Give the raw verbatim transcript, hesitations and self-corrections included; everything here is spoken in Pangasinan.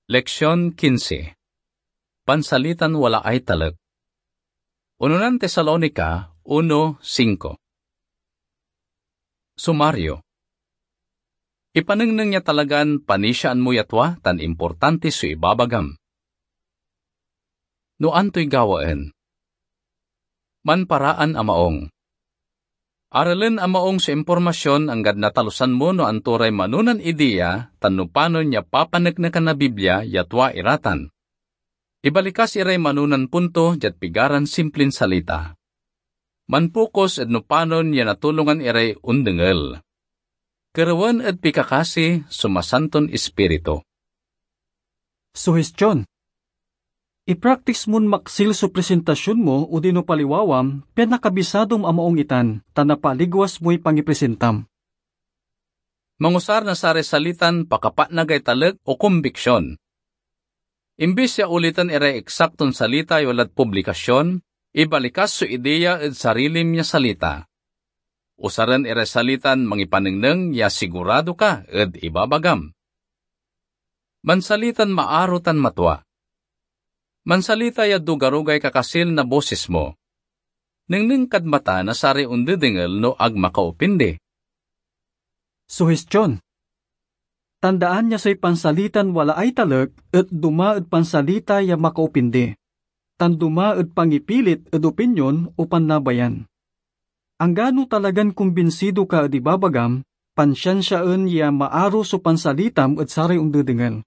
Leksion quince. Pansalitan walaay talek. Unonan Tesalonica uno cinco. Sumaryo. Ipanengneng ya talagan panisiaan mo ya tua tan importante so ibabagam. No antoy gawaen. Manparaan a maong. Aralen a maong so impormasyon anggad natalusan mo no anto ray manonan ideya tan no panon ya papaneknekan na Biblia ya tua ira tan. Ibalikas iray manonan punto diad pigaran simplin salita. Manpokus ed no panon ya natulongan iray ondengel. Kerewen ed pikakasi so Masanton Ispiritu. Suhestyon. Ipraktis mon maksil so presentasyon mo odino paliwawam pian nakabisadom a maong itan, ta napaligwas moy pangipresentam. Mangusar na saray salitan pakapatnagay talek o kombiksyon. Imbis ya uliten iray eksakton salita yo lad publikasyon, ibalikas so ideya ed sarilim ya salita. Usaren iray salitan mangipanengneng ya sigurado ka ed ibabagam. Mansalitan maaro tan matua. Mansalita ya dugarogay kakasil na bosis mo. Nengneng kad mata na saray ondedengel no ag makaopindi. Suhestyon. Tandaan ya say pansalitan walaay talek et duma ed pansalita ya makaopindi, tan duma ed pangipilit ed opinyon o pannabayan. Anggano talagan kumbinsido ka ed ibabagam, pansiansiaen ya maaro so pansalitam ed saray ondedengel.